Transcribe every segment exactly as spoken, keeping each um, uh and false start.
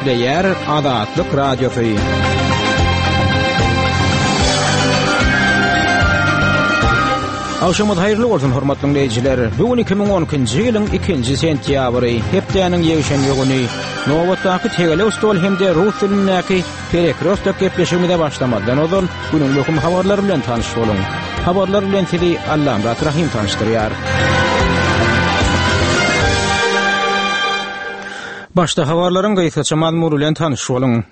Gepleýär Azatlyk Radiosy. Agşamyňyz haýyrly bolsun, hormatly diňleýjiler. Bu gün iki müň on ikinji ýylyň ikinji sentýabry, hepdäniň ýekşenbe güni. Nobatdaky tegelek stol hem-de rus dilindäki Perekrostok gepleşigimize başlamazdan ozal günüň möhüm habarlary bilen tanyş boluň. Habarlar bilen sizi Allamyrat Rahym tanyşdyrýar. Başda habarlaryň gysgaça mazmuny bilen tanyş boluň.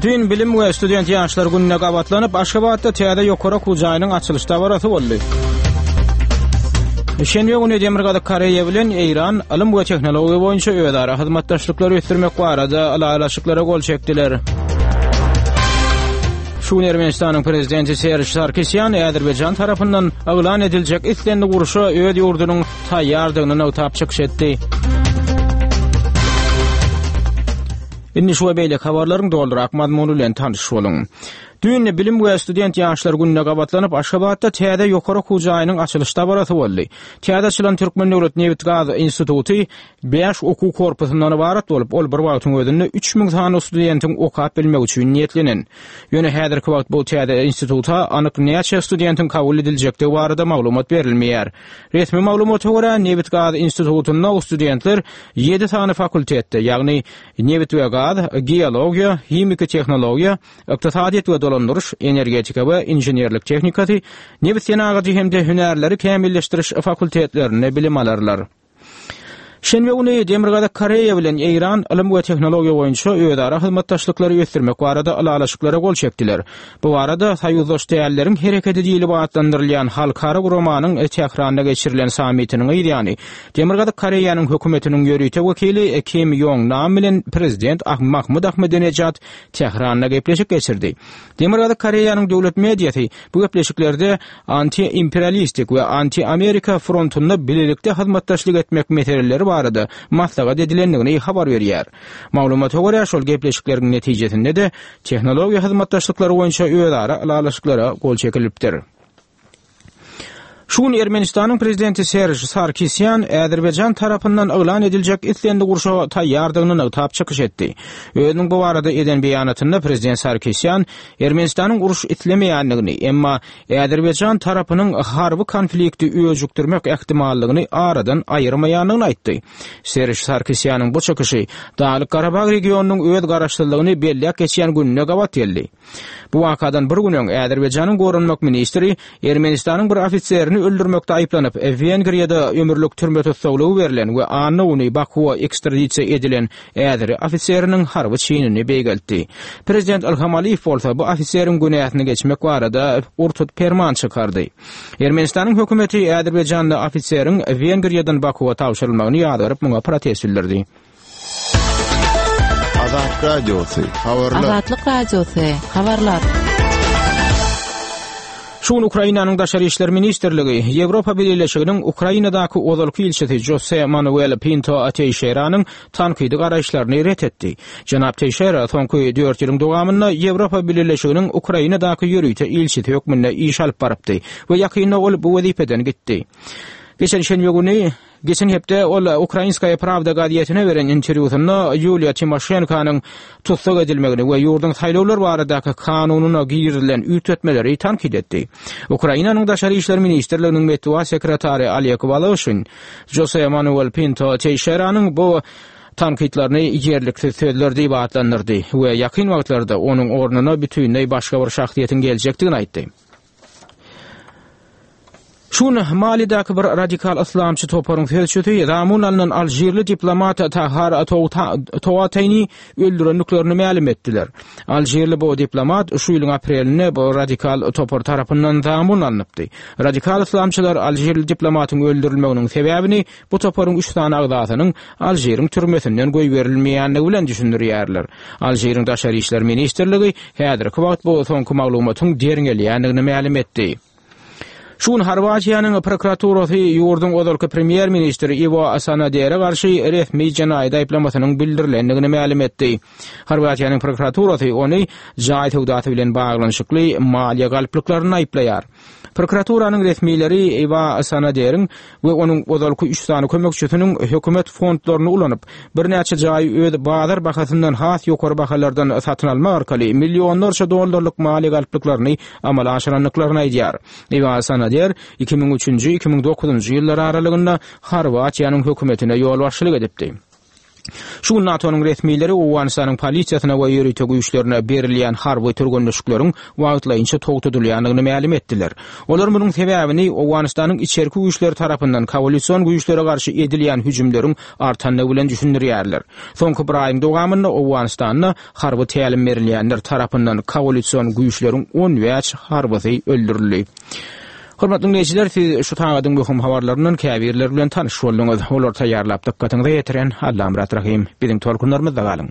Düýn Bilim we student ýaşlar gününe gabatlanyp, Aşgabatda täze ýokary okuw jaýynyň açylyş dabarasy boldy. Şenbe güni Demirgazyk Koreýa bilen Eýran ylym we tehnologiýa boýunça özara hyzmatdaşlyklary ösdürmek barada ylalaşyklara gol çekdiler. Şu gün Ermenistanyň prezidenti Serj Sarkisýan Azerbaýjan tarapyndan yglan ediljek islendik urşa öz ýurdunyň taýýardygyny nygtap çykyş etdi. Indi şu we beýleki habarlaryň dolurak mazmuny bilen tanyş boluň. Düýn Bilim we student ýaşlar gününe gabatlanyp, Aşgabatda täze ýokary okuw jaýynyň açylyş dabarasy boldy. Täze açylan Türkmen döwlet nebit-gaz instituty bäş okuw korpusyndan ybarat bolup, ol bir wagtyň özünde üç müň sany studentiň okap bilmegi üçin niýetlenen. Ýöne häzirki wagt bu täze instituta anyk näçe studentiň kabul ediljekdigi barada maglumat berilmeýär. Resmi maglumata görä, nebit-gaz institutynda studentler ýedi sany fakultetde, ýagny nebit we gaz, geologiýa, himiki tehnologiýa, ykdysadyýet we dolandyryş, energetika we inženerlik tehnikasy, nebit senagaty hem-de hünärleri kämilleşdiriş fakultetlerinde bilim alarlar. Şenbe güni Demirgazyk Koreýa bilen Eýran ylym we tehnologiýa boýunça özara hyzmatdaşlyklary ösdürmek barada ylalaşyklara gol çekdiler. Bu barada Soýuzdaş dälleriň hereketi diýlip atlandyrylýan halkara guramanyň Tähranda geçirilen sammitiniň ýany Demirgazyk Koreýanyň hökümetiniň ýörite wekili Kim Ýong Nam bilen prezident Mahmud Ahmadinejad Tähranda gepleşik geçirdi. Demirgazyk Koreýanyň döwlet mediasy bu gepleşiklerde anti-imperialistik we anti-Amerika frontunda bilelikde hyzmatdaşlyk etmek meseleleri barada maslahat edilendigini habar berýär. Maglumata görä, şol gepleşikleriň netijesinde de tehnologiýa hyzmatdaşlyklary boýunça özara ylalaşyklara gol çekilipdir. Şu gün Ermenistanyň prezidenti Serj Sarkisýan Azerbaýjan tarapyndan yglan ediljek islendik urşa taýýardygyny nygtap çykyş etdi. Özüniň bu barada eden beýanatynda prezident Sarkisýan Ermenistanyň uruş islemeýändigini, emma Azerbaýjan tarapynyň harby konflikti öjükdirmek ähtimallygyny aradan aýyrmaýandygyny aýtdy. Serj Sarkisýanyň bu çykyşy Daglyk Garabag regionynyň öz garaşsyzlygyny belläp geçýän gününe gabat geldi. Bu wakadan bir gün öň Azerbaýjanyň goranmak ministri Ermenistanyň bir ofiserini öldürmekde aýyplanyp, Wengriýada ömürlik türme tussaglygy berlen we anna güni Bakuwa ekstradisiýa edilen Azeri ofiseriniň harby çinini beýgeltdi. Prezident Ilham Aliýew bolsa bu ofiseriň günäsini geçmek barada urtut perman çykardy. Ermenistanyň hökümeti Azerbaýjanda ofiseriň Wengriýadan Bakuwa tabşyrylmagyny ýazgaryp muňa protest bildirdi. Azatlyk Radiosy, habarlar. Azatlyk Radiosy, habarlar. Şu gün Ukrainanyň Daşary işler ministrligi Ýewropa Bileleşiginiň Ukrainadaky ozalky ilçisi Jose Manuel Pinto Teixeiranyň tankydy garaýyşlaryny ret etdi. Jenap Teixeira soňky dört ýylyň dowamynda Ýewropa Bileleşiginiň Ukrainadaky ýörite ilçisi hökmünde iş alyp barypdy we ýakynda ol bu wezipeden gitdi. Geçen şenbe güni Geçen hepde ol Ukrainskaya Pravda gazetine beren interwýusynda Ýuliýa Timoşenkonyň tussag edilmegini we ýurduň saýlawlar baradaky kanunyna girizilen üýtgetmeleri tankyt etdi. Ukrainanyň Daşary işler ministrliginiň metbugat sekretary Oleg Woloşin Jose Manuel Pinto Teixeiranyň bu tankytlaryny ýerliksiz sözler diýip atlandyrdy we ýakyn wagtlarda onuň ornuna bütinleý başga bir şahsyýetiň geljekdigini aýtdy. Şu gün Malidaky bir radikal yslamçy toparyň sözçüsi zamun alynan Alžirli diplomat Tahar Toatayny öldürendiklerini mälim etdiler. Alžirli bu diplomat şu ýylyň aprelinde bu radikal topar tarapyndan zamun alnypdy. Radikal yslamçylar Alžirli diplomatyň öldürilmeginiň sebäbini bu toparyň üç sany agzasynyň Alžiriň türmesinden goýberilmeýändigi bilen düşündirýärler. Alžiriň Daşary işler ministrligi häzirki wagt bu soňky maglumatyň derňelýändigini mälim etdi. Şu gün Horwatiýanyň prokuraturasy ýurduň ozalky premýer-ministri Iwo Sanadere garşy resmi jenaýat aýyplamasynyň bildirilendigini mälim etdi. Horwatiýanyň prokuraturasy ony jaý söwdasy bilen baglanyşykly maliýe galplyklaryny aýyplaýar. Prokuraturanyň resmileri Iwa Sanaderiň we onuň ozalky üç sany kömekçisiniň hökümet fondlaryny ulanyp, birnäçe jaýy öz bazar bahasyndan has ýokary bahalardan satyn almak arkaly millionlarça dollarlyk maliýe galplyklaryny amala aşyrandyklaryny aýdýar. Iwa Sanader iki müň üçünji iki müň dokuzynjy ýyllar aralygynda Horwatiýanyň hökümetine ýolbaşçylyk edipdi. Şu gün NATO-nyň resmileri Owganystanyň polisiýasyna we ýörite güýçlerine berilýän harby türgenleşikleriň wagtlaýynça togtadylýandygyny mälim etdiler. Olar munuň sebäbini Owganystanyň içerki güýçleri tarapyndan koalision güýçlere garşy edilýän hüjümleriň artandygy bilen düşündirýärler. Soňky bir aýyň dowamynda Owganystanda harby tälim berilýänler tarapyndan koalision güýçleriň on bäş harbysy öldürildi. Hormatly dinleýjiler, siz şu sagadyň möhüm habarlaryndan käbirleri bilen tanyş bolduňyz. Olary taýýarlap dykgatyňyza ýetiren Allamyrat Rahym. Biziň tolkunlarymyzda galyň.